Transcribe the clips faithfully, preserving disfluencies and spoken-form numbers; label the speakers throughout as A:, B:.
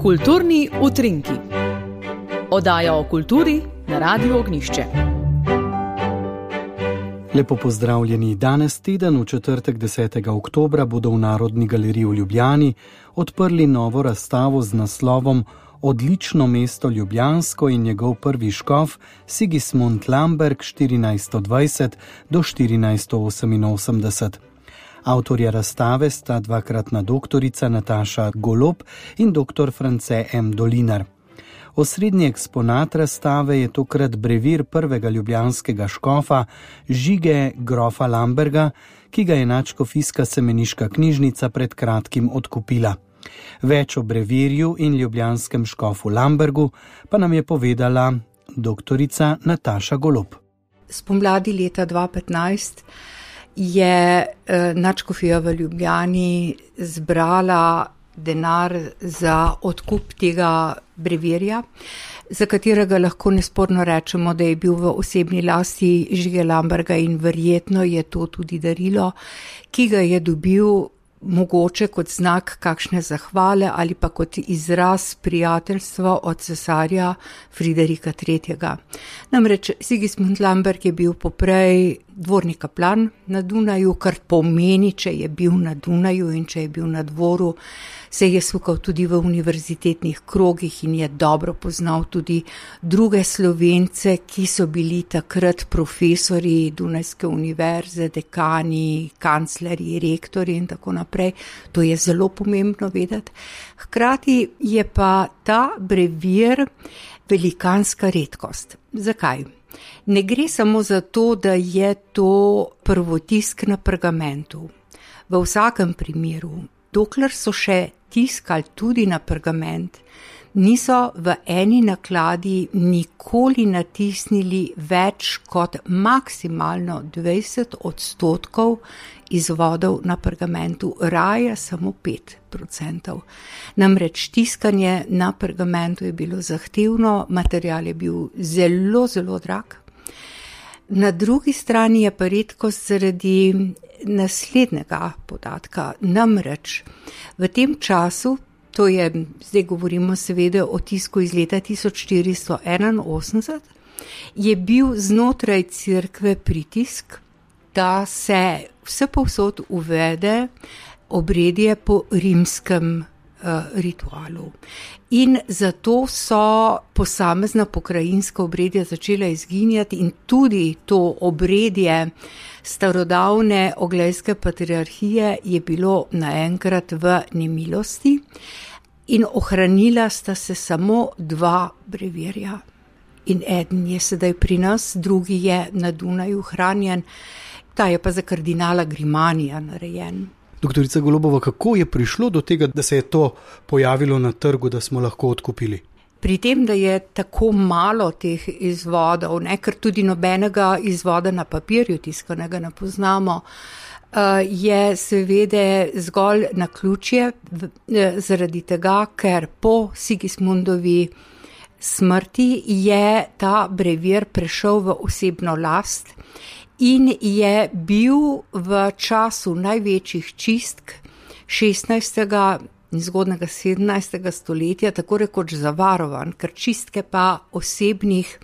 A: Kulturni utrinki. Oddaja o kulturi na Radiu Ognjišče.
B: Lepo pozdravljeni. Danes teden, v četrtek desetega oktobra, bodo v Narodni galeriji v Ljubljani odprli novo razstavo z naslovom Odlično mesto Ljubljansko in njegov prvi škof Sigismund Lamberg štirinajststo dvajset do štirinajststo oseminosemdeset. Avtorja razstave sta dvakratna doktorica Nataša Golob in doktor France M. Dolinar. Osrednji eksponat razstave je tokrat brevir prvega ljubljanskega škofa Žige grofa Lamberga, ki ga je nadškofijska semeniška knjižnica pred kratkim odkupila. Več o brevirju in ljubljanskem škofu Lambergu pa nam je povedala doktorica Nataša Golob.
C: Spomladi leta dva tisoč petnajst je eh, nadškofija v Ljubljani zbrala denar za odkup tega brevirja, za katerega lahko nesporno rečemo, da je bil v osebni lasti Žige Lamberga in verjetno je to tudi darilo, ki ga je dobil mogoče kot znak kakšne zahvale ali pa kot izraz prijateljstva od cesarja Friderika tretjega. Namreč Sigismund Lamberg je bil poprej dvorni kaplan na Dunaju, kar pomeni, če je bil na Dunaju in če je bil na dvoru, se je sukal tudi v univerzitetnih krogih in je dobro poznal tudi druge Slovence, ki so bili takrat profesori Dunajske univerze, dekani, kanclerji, rektori in tako naprej. To je zelo pomembno vedeti. Hkrati je pa ta brevir velikanska redkost. Zakaj? Ne gre samo za to, da je to prvotisk na pergamentu. V vsakem primeru, dokler so še tiskali tudi na pergament, niso v eni nakladi nikoli natisnili več kot maksimalno dvajset odstotkov izvodov na pergamentu, raje samo pet procentov. Namreč tiskanje na pergamentu je bilo zahtevno, material je bil zelo, zelo drag. Na drugi strani je pa redkost zaradi naslednjega podatka. Namreč v tem času, to je, zdaj govorimo seveda o tisku iz leta tisoč štiristo enainosemdeset, je bil znotraj cerkve pritisk, da se vse povsod uvede obredje po rimskem uh, ritualu. In zato so posamezna pokrajinska obredja začela izginjati in tudi to obredje starodavne oglejske patriarhije je bilo naenkrat v nemilosti in ohranila sta se samo dva brevirja. In eden je sedaj pri nas, drugi je na Dunaju hranjen, ta je pa za kardinala Grimanija narejen.
B: Doktorica Golobova, kako je prišlo do tega, da se je to pojavilo na trgu, da smo lahko odkupili?
C: Pri tem, da je tako malo teh izvodov, ne, ker tudi nobenega izvoda na papirju tiskanega ne poznamo, je seveda zgolj naključje zaradi tega, ker po Sigismundovi smrti je ta brevir prešel v osebno last in je bil v času največjih čistk šestnajstega in zgodnega sedemnajstega stoletja tako rekoč zavarovan, ker čistke pa osebnih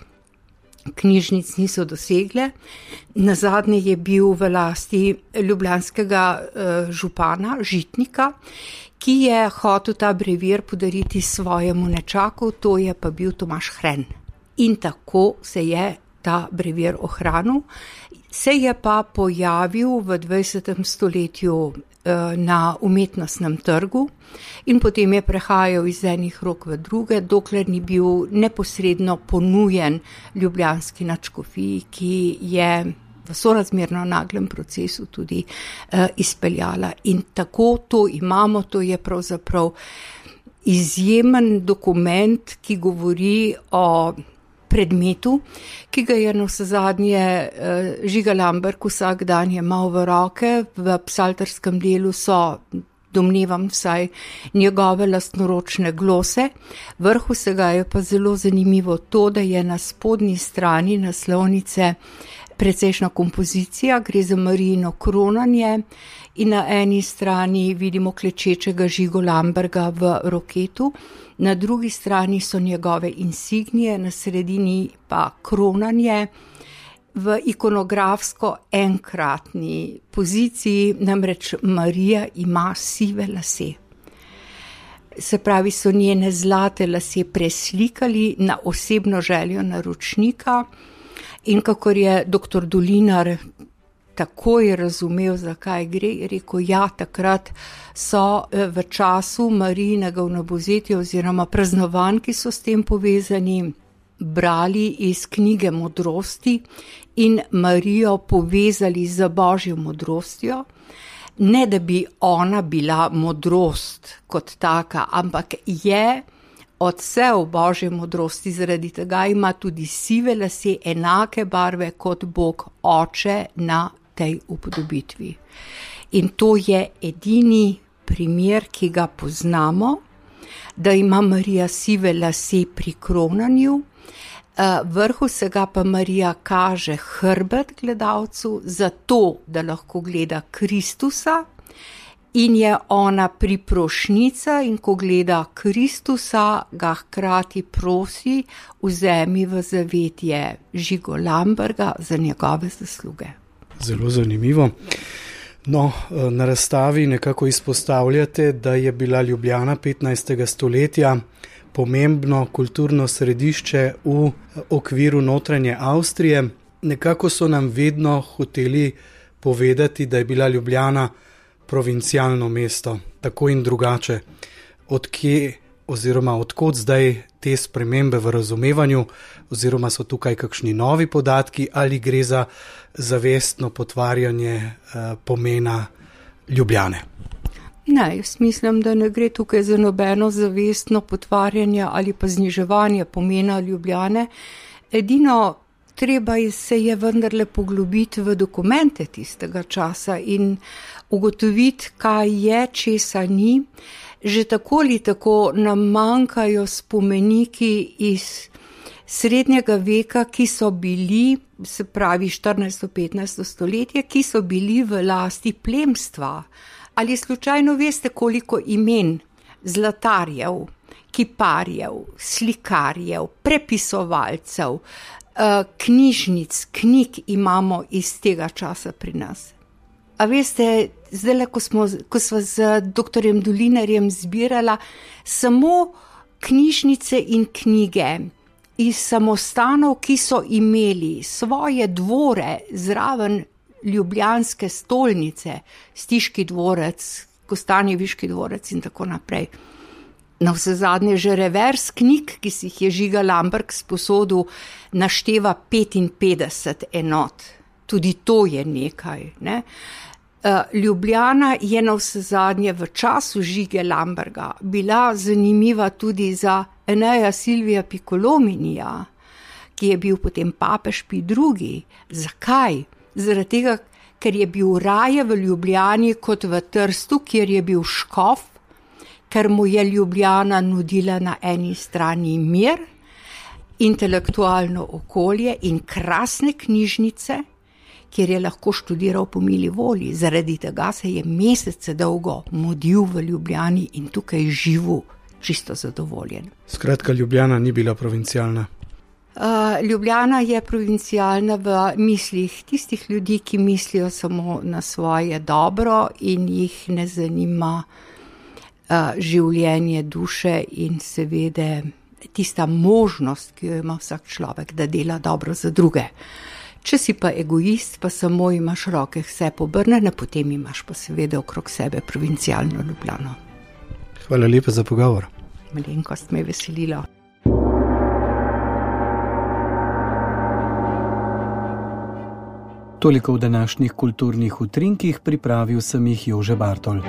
C: knjižnic niso dosegle. Nazadnje je bil v lasti ljubljanskega uh, župana, žitnika, ki je hotel ta brevir podariti svojemu nečaku, to je pa bil Tomaž Hren. In tako se je ta brevir ohranil. Se je pa pojavil v dvajsetem stoletju na umetnostnem trgu in potem je prehajal iz enih rok v druge, dokler ni bil neposredno ponujen ljubljanski nadškofiji, ki je v sorazmerno naglem procesu tudi uh, izpeljala. In tako to imamo, to je pravzaprav izjemen dokument, ki govori o predmetu, ki ga je navsezadnje uh, Žiga Lamberg vsak dan jemal v roke. V psalterskem delu so, domnevam vsaj, njegove lastnoročne glose. Vrh vsega je pa zelo zanimivo to, da je na spodnji strani naslovnice precejšna kompozicija, gre za Marijino kronanje in na eni strani vidimo klečečega Žigo Lamberga v roketu, na drugi strani so njegove insignije, na sredini pa kronanje v ikonografsko enkratni poziciji, namreč Marija ima sive lase. Se pravi, so njene zlate lase preslikali na osebno željo naročnika in kakor je doktor Dolinar takoj razumel, zakaj gre, je rekel, ja, takrat so v času Marijinega vnabozetja oziroma praznovanj, ki so s tem povezani, brali iz knjige modrosti in Marijo povezali z Božjo modrostjo. Ne, da bi ona bila modrost kot taka, ampak je odsev Božje modrosti, zaradi tega ima tudi sive lase enake barve kot Bog Oče na tej upodobitvi. In to je edini primer, ki ga poznamo, da ima Marija sive lase pri kronanju, vrhu vsega pa Marija kaže hrbet gledalcu, zato da lahko gleda Kristusa, in je ona priprošnica, in ko gleda Kristusa, ga hkrati prosi, vzemi v zavetje Žigo Lamberga za njegove zasluge.
B: Zelo zanimivo. No, na razstavi nekako izpostavljate, da je bila Ljubljana petnajstega stoletja pomembno kulturno središče v okviru notranje Avstrije. Nekako so nam vedno hoteli povedati, da je bila Ljubljana provincialno mesto, tako in drugače. Odkje oziroma odkot zdaj te spremembe v razumevanju, oziroma so tukaj kakšni novi podatki ali gre za zavestno potvarjanje eh, pomena Ljubljane?
C: Ne, jaz mislim, da ne gre tukaj za nobeno zavestno potvarjanje ali pa zniževanje pomena Ljubljane. Edino treba se je vendarle poglobiti v dokumente tistega časa in ugotoviti, kaj je, česa ni. Že tako ali tako nam manjkajo spomeniki iz srednjega veka, ki so bili, se pravi štirinajsto petnajsto stoletje, ki so bili v lasti plemstva. Ali slučajno veste, koliko imen zlatarjev, kiparjev, slikarjev, prepisovalcev, knjižnic, knjig imamo iz tega časa pri nas? A veste, zdaj, ko smo, ko smo z doktorjem Dolinarjem zbirala samo knjižnice in knjige iz samostanov, ki so imeli svoje dvore zraven ljubljanske stolnice, Stiški dvorec, Kostanjeviški dvorec in tako naprej. Na vse zadnje že revers knjig, ki si jih je Žiga Lamberg sposodil, našteva petinpetdeset enot. Tudi to je nekaj, ne? Ljubljana je na vse zadnje v času Žige Lamberga bila zanimiva tudi za Eneja Silvija Piccolominija, ki je bil potem papež Pij drugi. Zakaj? Zaradi tega, ker je bil raje v Ljubljani kot v Trstu, kjer je bil škof, ker mu je Ljubljana nudila na eni strani mir, intelektualno okolje in krasne knjižnice, kjer je lahko študiral po mili volji. Zaradi tega se je mesece dolgo mudil v Ljubljani in tukaj živel čisto zadovoljen.
B: Skratka, Ljubljana ni bila provincialna.
C: Uh, Ljubljana je provincialna v mislih tistih ljudi, ki mislijo samo na svoje dobro in jih ne zanima uh, življenje duše in seveda tista možnost, ki jo ima vsak človek, da dela dobro za druge. Če si pa egoist, pa samo imaš roke vse pobrnene, potem imaš pa seveda okrog sebe provincialno Ljubljano.
B: Hvala lepa za pogovor.
C: Malenkost me je veselilo.
B: Toliko v današnjih kulturnih utrinkih, pripravil sem jih Jože Bartol.